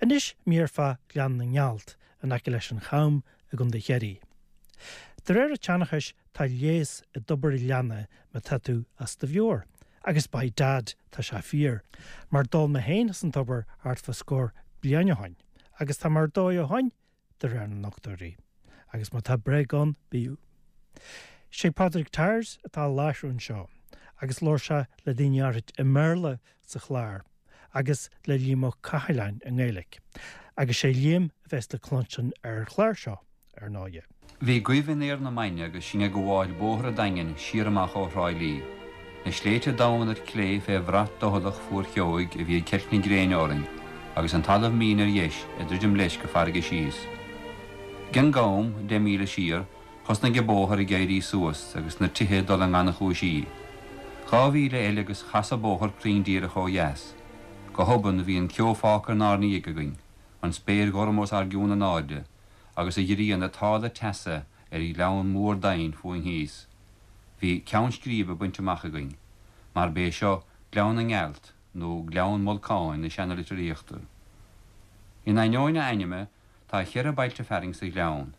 Anois mír fá Ghleann na nGealt in aice leis an Cham i gContae Chiarraí. De réir an tseanchais tá leigheas i dtobar an ghleanna má tá tú as do mheabhair, agus by dad tá sé fíor, mar d'ól mé féin as an tobar thart fá scór bliain ó shoin, agus tá mé ar dóigh ó shoin, de réir na ndochtúirí. Agus má tá bréag ann, b'fhiú. Sé Pádraig Tyers atá á láithriú anseo, agus labhair sé le daoine áirid i mBéarla sa chlár, agus le Liam Ó Cathaláin i nGaeilge. Agus sé Liam a bheas le cluinstin ar an chlár seo, ar ndóighe. Bhí goimh in aer na maidne agus sinn ag gabháil bóthar an Daingin siar amach ó Thrá Lí. Na sléibhte domhain ar clé fé bhrat doicheallach fuar-cheoigh a bhí ag ceilt na gréine orainn, agus an talamh mín ar dheis ag druidim leis go farraige síos. Ag an gCam, 10 míle siar, thosnaigh an bóthar ag éirí suas agus na tithe ag dul i ngannchúinsí. 2 mhíle eile agus chas an bóthar cruinn díreach ó dheas. Go hobann bhí an ceo fágtha inár ndiaidh againn, an spéir ghorm os ár gcionn in airde, agus an ghrian ag táladh teasa ar ghleann mór doimhin fúinn thíos. Bhí ceann scríbe bainte amach againn, mar b'é seo Gleann na nGealt nó Gleann Mholcáin na seanalitríochta. In ainneoin a ainme, tá cheithre bailte fearainn sa ghleann,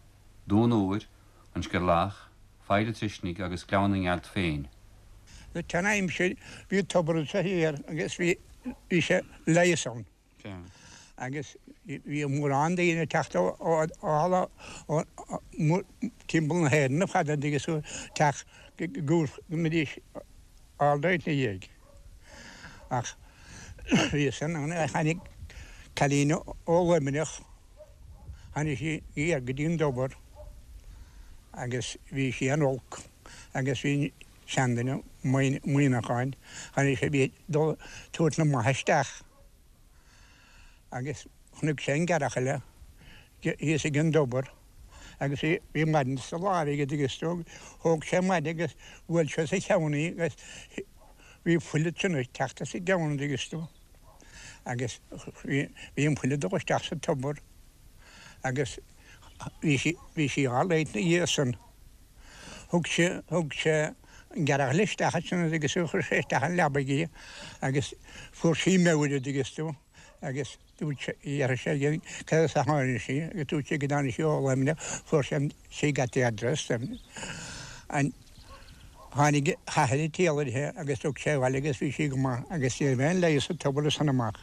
Dún Úir, An Sceirleach, Faill an Truisnigh agus Gleann na nGealt féin. Sa tsean-aimsir bhí tobar anso thiar agus bhí bhí sé leigheas ann. Agus bhí mórán daoine ag teacht ó timpeall na hÉireann ar fad agus ag teacht go mbeidís ard ina dhiaidh. Ach bhí san ann tháinig cailín ó Luimneach, tháinig sí thiar go dtí an dtobar agus bhí sí an-olc agus bhí seanduine Muimhneacháin, tháinig sé, bhí ag dul tabhairt na maithe isteach agus chonaic sé an gearrthach eile thíos ag an dtobar agus bhí bhí maide sa láimh aige agus thóg sé an maide agus bhuail sé sa cheann í agus bhí fuil ansin ag teacht as a gceann agus tú agus bhí bhí an fuil ag dul isteach sa tobar agus bhí sí bhí sí á leigheas ina dhiaidh san. Thug sé, thug sé an gearrthach eile isteach ansin agus chuir sé isteach an leabaidh í agus fuair sí meabhair an dtuigeann tú agus dúirt sé, d'fhiafraigh sé di cad as a tháinig sí agus dúirt sí go dtáinig sí ó Luimneach, fuair sé an, she got the address and tháinig a hathair ag triall uirthi agus thug sé abhaile agus bhí sí go maith agus ní raibh aon leigheas sa tobar as san amach.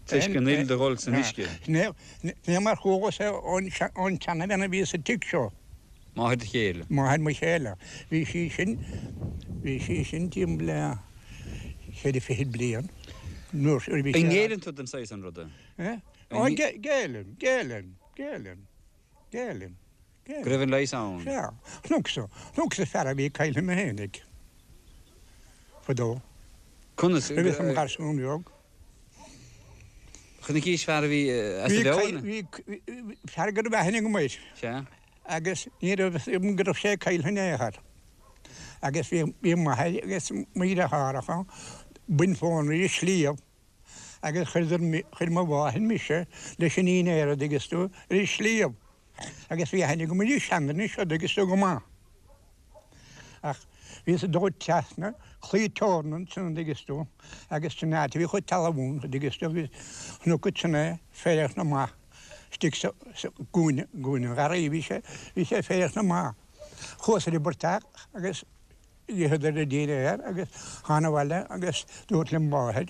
Toisc an fhuil do dhul san uisce. Ní mar chualas é ón tseanabhean a bhí sa tigh seo. Máthair do chéile. Máthair mo chéile. Bhí sí sin, bhí sí sin timpeall le ceithre fichid bliain nuair a bhí sí. An ngéilleann tú don saghas san ruda? Eh? Ó, géilleann, géilleann, géilleann, géilleann, géilleann. Go raibh an leigheas ann? Sea. Chonacsa, chonacsa fear a bhí ag cailleadh mé fhéinig. Fadó. Conas? Nuair a bhíos i mo gharsún beag. Chonaicis fear a bhí as a mheabhair? Bhí, bhí, fear go raibh aithne agam air. Sea. Agus ní raibh fhios agam go raibh sé ag cailleadh in aon chor. Agus bhí, bhí m'athair agus mo dheartháireacha ag baint mhóna ar an sliabh agus chuireadar, chuir mo mháthair mise leis an dinnéar an dtuigeann tú, ar an sliabh. Agus bhí aithne agam ar an seanduine seo an dtuigeann tú go maith. Ach bhíos ag dul trasna claí teorann ansin an dtuigeann tú agus sin áit a bhí chuid talmhan an dtuigeann tú agus chonac ansin é ag faire amach istigh sa gcúinne, gcúinne an gharraí bhí sé, bhí sé ag faire amach. Chuas ar an bportach agus d'itheadar a dinnéar agus thána abhaile agus dúirt le máthair,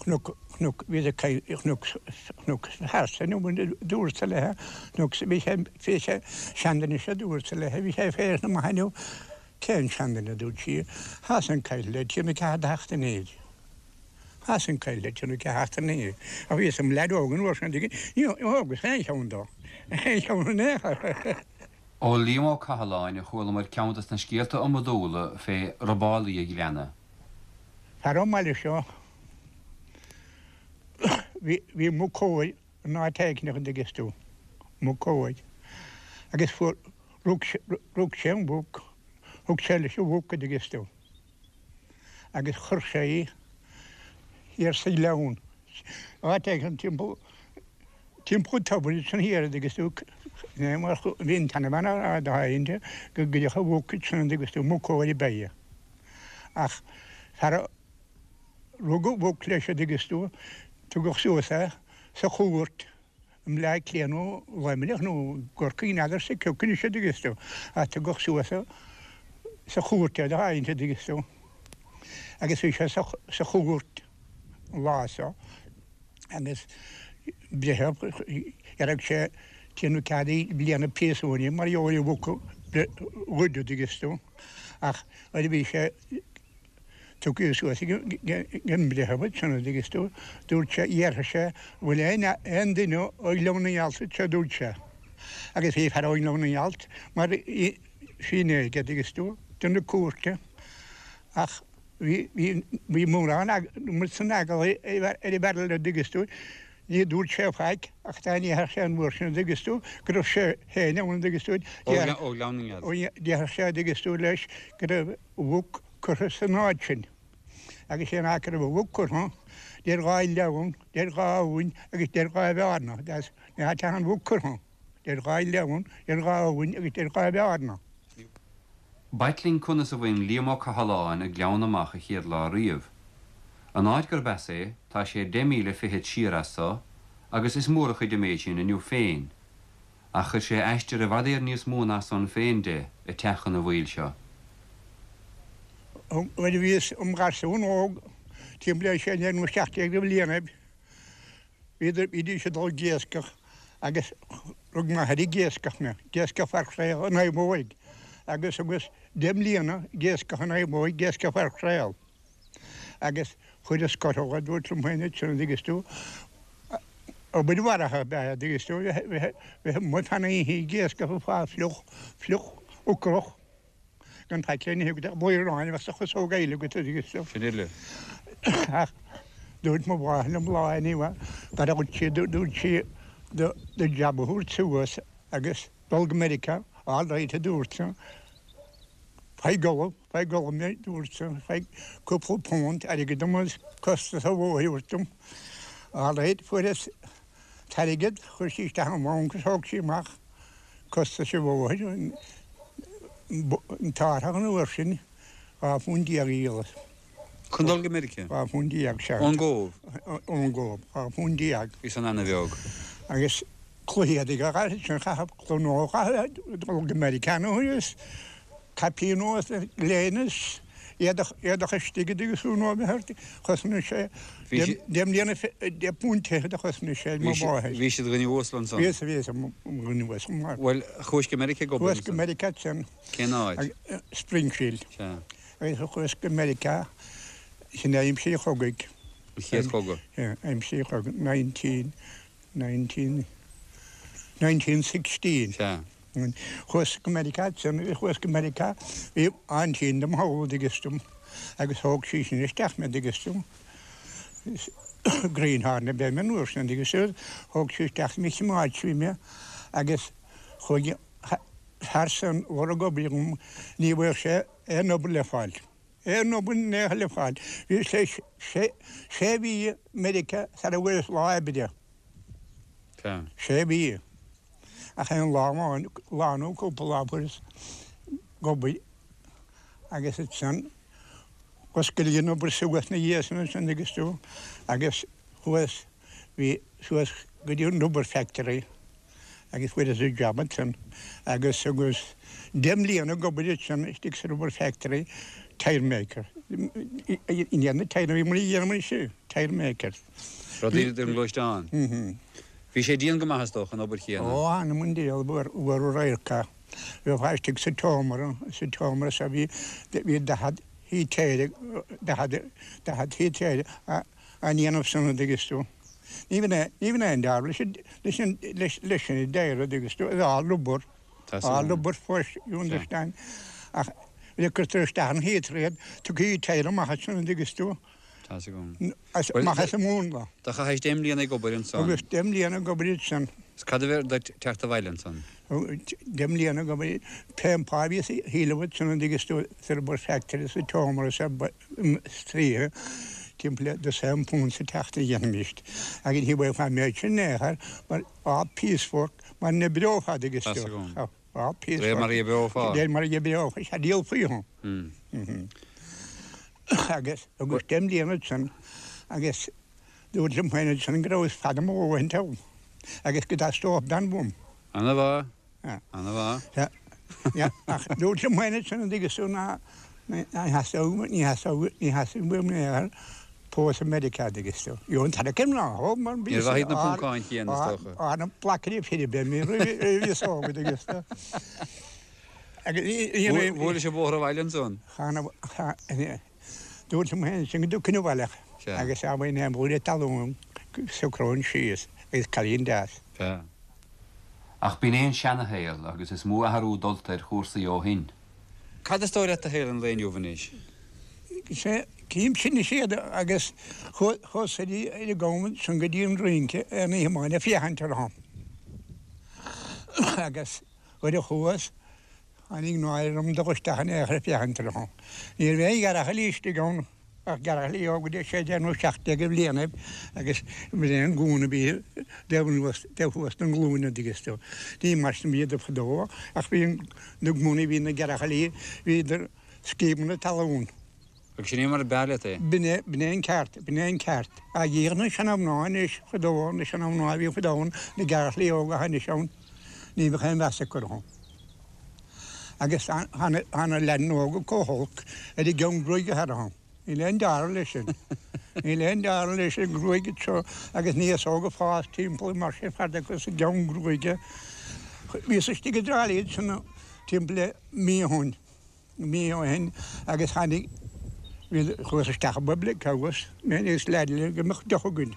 Chonac, chonac, bhí sé ag, chonac, chonac fear san dúrtsa léithe, chonac, bhí sé, bhí sé, seanduine seo dúrtsa léithe, bhí sé ag faire amach inniu, cén seanduine a dúirt sí, thá san caillte le trí nó ceathair de sheachtainí. Thá san caillte le trí nó ceathair seachtainí. Ach bhíos i mo leaid óg an uair sin, ní thógas aon cheann dó, aon cheann in aon chor. Ó Liam Ó Cathaláin a chualamar ceann dos na scéalta iomadúla fé robálaí an ghleanna. Fear ón mbaile seo, bhí muc óir in áit éicint an dtuigeann tú, muc óir. Agus fuair, rug, rug sé an mhuc, thug sé leis an mhuc an dtuigeann tú. Agus chuir sé í thiar sa ghleann, áit éicint timpeall, timpeall an tobair ansin thiar an dtuigeann tú, mar bhí an tseanbhean á rá dá go gcuirfeadh an mhuc ansin an dtuigeann tú, muc óir ab ea í. Ach fear a rug an mhuc leis an dtuigeann tú, tugadh suas é. sa chúirt i mBleá Cliath nó Luimneach nó gCorcaigh n'fheadarsa cé acu anois a dtuigeas tú, ach tugadh suas sa chúirt é do tharraingt a dtuigeas tú. Agus bhí sé sa chúirt an lá so agus breitheamh, dhéarfadh sé déanamh cead bliana príosúin mar gheall ar mhuc a ghoid a dtuigeas tú ach nuair a bhí sé Tugtha suas ag an mbreitheamh ansin, a dtuigeas tú, dúirt sé, dhéarfadh sé, an bhfuil aon, aon duine ó Ghleann na nGealt anseo, dúirt sé. Agus bhí fear ó Ghleann na nGealt mar fhinné aige, a dtuigeas tú, duine cúirte. Ach bhí, bhí, bhí mórán muid san eagla ar an bhfear eile, a dtuigeas tú, ní dúirt sé faic ach dá ndéarfadh sé an uair sin, a dtuigeas tú, go raibh sé féin ann, a dtuigeas tú, Ó Ghleann na nGealt. déarfadh sé, a dtuigeas tú, leis go raibh mhuc curtha san áit sin, agus sé an áit go raibh an mhuc curtha, deir dhá ghleann, deir dhá abhainn agus deir dhá bhearna, that's an áit atá an mhuc curtha, deir dhá ghleann, deir dhá abhainn agus deir dhá bhearna. B'ait linn conas a bhain Liam Ó Cathalláin an Gleann amach a chéad lá riamh. An áit gurb as é, tá sé deich míle fichead siar as so, agus is mór a chuid an méid sin inniu féin. Ach chuir sé aistear i bhfad Éireann níos mó ná san féin de ag teacht chun an bhaill seo. Nuair a bhíos im gharsún óg, timpeall ar 16 nó 17 de bhlianaibh, bhíodar, bhídís ag dul ag iascach agus rug m'athair ag iascach mé, ag iascach mhaircréal an Naomhóig agus thugas deich mbliana ag iascach an Naomhóig, ag iascach mhaircréal. Agus chuireas scotall, a dúirt liom féin ansin, an dtuigeas tú, obair mharaithe ab ea é, an dtuigeas tú, bheith amuigh fan oíche ag iascach ag fáil fliuch, fliuch ocrach, gan faic le n-ithe agat ach blúire aráin a bheadh sa chasóg aoile agat, an dtuigeas tú. Sin uile. Ach dúirt mo mháthair liom lá anyway, gur dhúirt sí, dúirt sí do jab a thabhairt suas agus dul go Meiriceá, all right a dúirt sí, faigh ollamh. Faigh ollamh mé, dúirt sé, faigh cúpla punt airgid dom agus costas an bhóthair a thabhairt dom. All right, fuaireas an t-airgead, chuir sí isteach i mbanc is thóg sí amach costas an bhóthair, an t-árthach an uair sin, 12 phunt a dhíolas. Chun dul go Meiriceá? 12 phunt, sea. Ón gCóbh? Ón gCóbh, 12 phunt. Bhí san ana-bheag. Agus cluichí a chaithfeadh sin, chaithfeadh cluiche nua a chaitheamh dul go Meiriceá nó is caipín nua is léine is éadach, éadach istigh i dtuigeas tú nó a bheith ort, chosnaigh sé deich mbliana, deich bpunt fichead a chosnaigh sé ag mo mháthair. Bhí siad dhuine uasal ansan? Bhí, bhí, dhuine uasal mar. Bhuel, chuais go Meiriceá ag obair ansan? Chuas go Meiriceá ansan. Cén áit? Springfield. Sea. Agus chuas go Meiriceá, sin aimsir an chogaidh. An chéad chogadh? Yeah, aimsir an chogaidh, 19, 19, 1916. Sea. Chuas go Meiriceá ansin, chuas go Meiriceá, bhí aintín dom thall, an dtuigeas tú, agus thóg sí sin isteach mé, an dtuigeas tú. Greenhorn ab ea mé an uair sin, an dtuigeas tú, thóg sí isteach mé, choimeád sí mé agus chuaigh fear san lorg obair dhom, ní bhfuair sé aon obair le fáil. Aon obair in aon chor le fáil. Bhí sé sé mhí i Meiriceá sara bhfuaireas lá oibre. Sé mhí. Ach aon lá amháin, lá nó cúpla lá fuaireas obair agus ansan dh'oscail an obair suas 'na dhiaidh san ansan agus tú agus chuas bhí suas go dtí an rubber factory agus fuaireas an jab ansan agus agus deich mbliana ag obair ansan istigh sa rubber factory tire maker i ndiaidh na tire bhí muid a dhéanamh anois tire maker. Rudaí don ghluaisteán. Bhí sé dian go maith is dócha an obair chéanna. Ó anam an diabhal bhfuair radharc é. Bheifeá istigh sa tseomra, sa tseomra so bhí bhí 40 heater 40 40 heater á ndéanamh san an dtuigeas tú. Ní bhíonn aon, ní bhíonn aon dealramh leis an, leis an, leis, leis an deireadh, an dtuigeas tú, it's all rubber, all rubber first, you understand. Ach nuair a cuirtear isteach an heater iad, tugtar tyre amach as sin, an dtuigeas tú. Tá's agam. As, amach as an múnla. Do chaithis deich mbliana ag obair ansan. Agus deich mbliana ag obair ansan. Is cad a bheir duit teacht abhaile ansan? Deich mbliana ag obair, pén pá a bhíos a thuilleamh ansan, an dtuigeas tú, sa rubber factory, sa tseomra, sa, stríoth timpeall le dosaen punt sa tseachtain a dhéanfaimíst agus ní bhfuil an méid sin in aon chor mar all piece work mar a n-oibreofá an dtuigeas tú all piece work. De réir mar a oibreofá. De réir mar a oibreofá, sea, díolfaí thú. Agus agus deich mbliana ansin agus. Dúrt liom féin ansin go rabhas fada mo dhóthain togha agus go dteastódh bean uaim. Ana mhaith. Ana mhaith. Ach dúrt liom féin ansin an dtuigeann tú ná ní theastódh, ní theastódh, ní theastódh uaim in aon chor pósadh i Meiriceá an dtuigeann tú. Gheobhainn tarrac ar mná thó mar bhí Níor mhaith iad na Poncáin chéanna is dócha. Á na plaiceanna fir a bheith mé roimh bhíos óg an dtuigeann tú. Agus ní, ní, Bhuaileis an bóthar abhaile ansan. Chan, chan, Dúirt liom féin ansin go dtiocfainn abhaile agus dá mbeinn aon bhuaile talún go socróinn síos agus cailín deas. Sea. Ach b'in é an seana-shaol agus is mó athrú dulta ar chúrsaí ó shin. Cad is dóigh leat de shaol an lae inniu anois? Sea, cím sin is iad agus chuas ar an gcam ansan go dtí an rince aon oíche amháin ag féachaint orthu agus nuair a chuas Tháinig náire orm dul isteach in aon chor ag féachaint orthu. Ní raibh aon ghearrchailí istigh ann ach gearrchailí óga de 16 nó 17 de bhlianaibh agus b'in é an gúna a bhí taobh anuas, taobh thuas den ghlúin an dtuigeann tú. Ní mar sin a bhíodar fadó ach bhí na gúnaí, bhí na gearrchailí, bhíodar scríobadh na talún. Agus sin é mar a b'fhearr leat é. B'in é, b'in é an ceart, b'in é an ceart. Ach dhíothar na seana-mhná anois, fadó, na seana-mhná a bhí fadó ann, na gearrchailí óga atá anois ann, ní bheadh aon mheas acu orthu. Agus tá, tá na, tá na leaideanna óga chomh holc ar an gceann gruaige atá orthu. Níl aon dealramh leis sin. Níl aon dealramh leis an gruaig seo agus na féasóga ag fás timpeall mar sin fada acu sa gceann gruaige. Bhíos istigh i dTrá Lí ansin timpeall le mí ó shin. mí ó shin agus tháinig, bhí, chuas isteach i bpublic house, mé agus leaid eile go mbeadh deoch againn.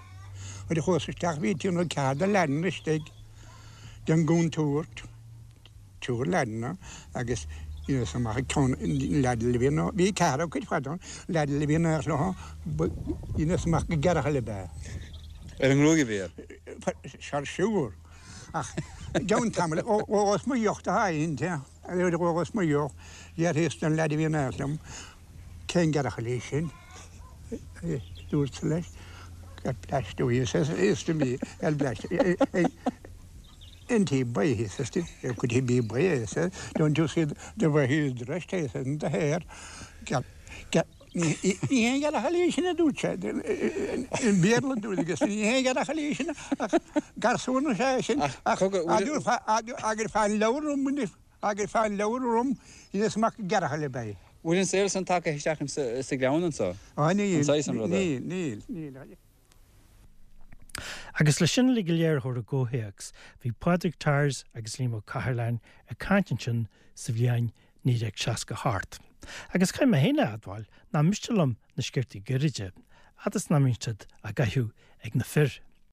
Nuair a chuas isteach bhí trí nó ceathair de leaideanna istigh den gcontúirt, triúr leaideanna agus dheineas amach ag ceann leaid eile a bhí ann, bhí ceathrar acu ar fad ann, leaid eile a bhí in éineacht leo, dheineas amach gur gearrchaile ab ea. Ar an ngruaig a bhí air? Sure, sure. Ach i gceann tamaill, d'ólas mo dheoch do sháimhín. Nuair a dh'ólas mo dheoch, d'fhiafraíos den leaid a bhí in éineacht liom, Cén gearrchaile í sin? Dúrtsa leis, God bless you, he says, he says to me, God bless you. Isn't he boy, he says to me, could he be boy, he says, don't you see the way he is dressed, he says, and the hair. God, God, ní haon ghearrchaile í sin a dúirt sé, i mBéarla dúirt agus ní haon ghearrchaile í sin ach garsún is ea é sin ach agur fán leabhar orm anois, agur fán leabhar orm dheineas amach gur gearrchaile ab ea é. Bhfuil an saol san tagtha isteach sa Ghleann anso? Á níl, An saghas an ruda? níl, níl, níl. Agus le sin uilig go léir a chur i gcomhthéacs, bhí Pádraig Tyers agus Liam Ó Cathaláin ag caint ansin sa bhliain 1968. Agus caithfidh mé féin a admháil nach miste liom na sciortaí gairide, fhad is nach mbíonn siad á gcaitheamh ag na fir.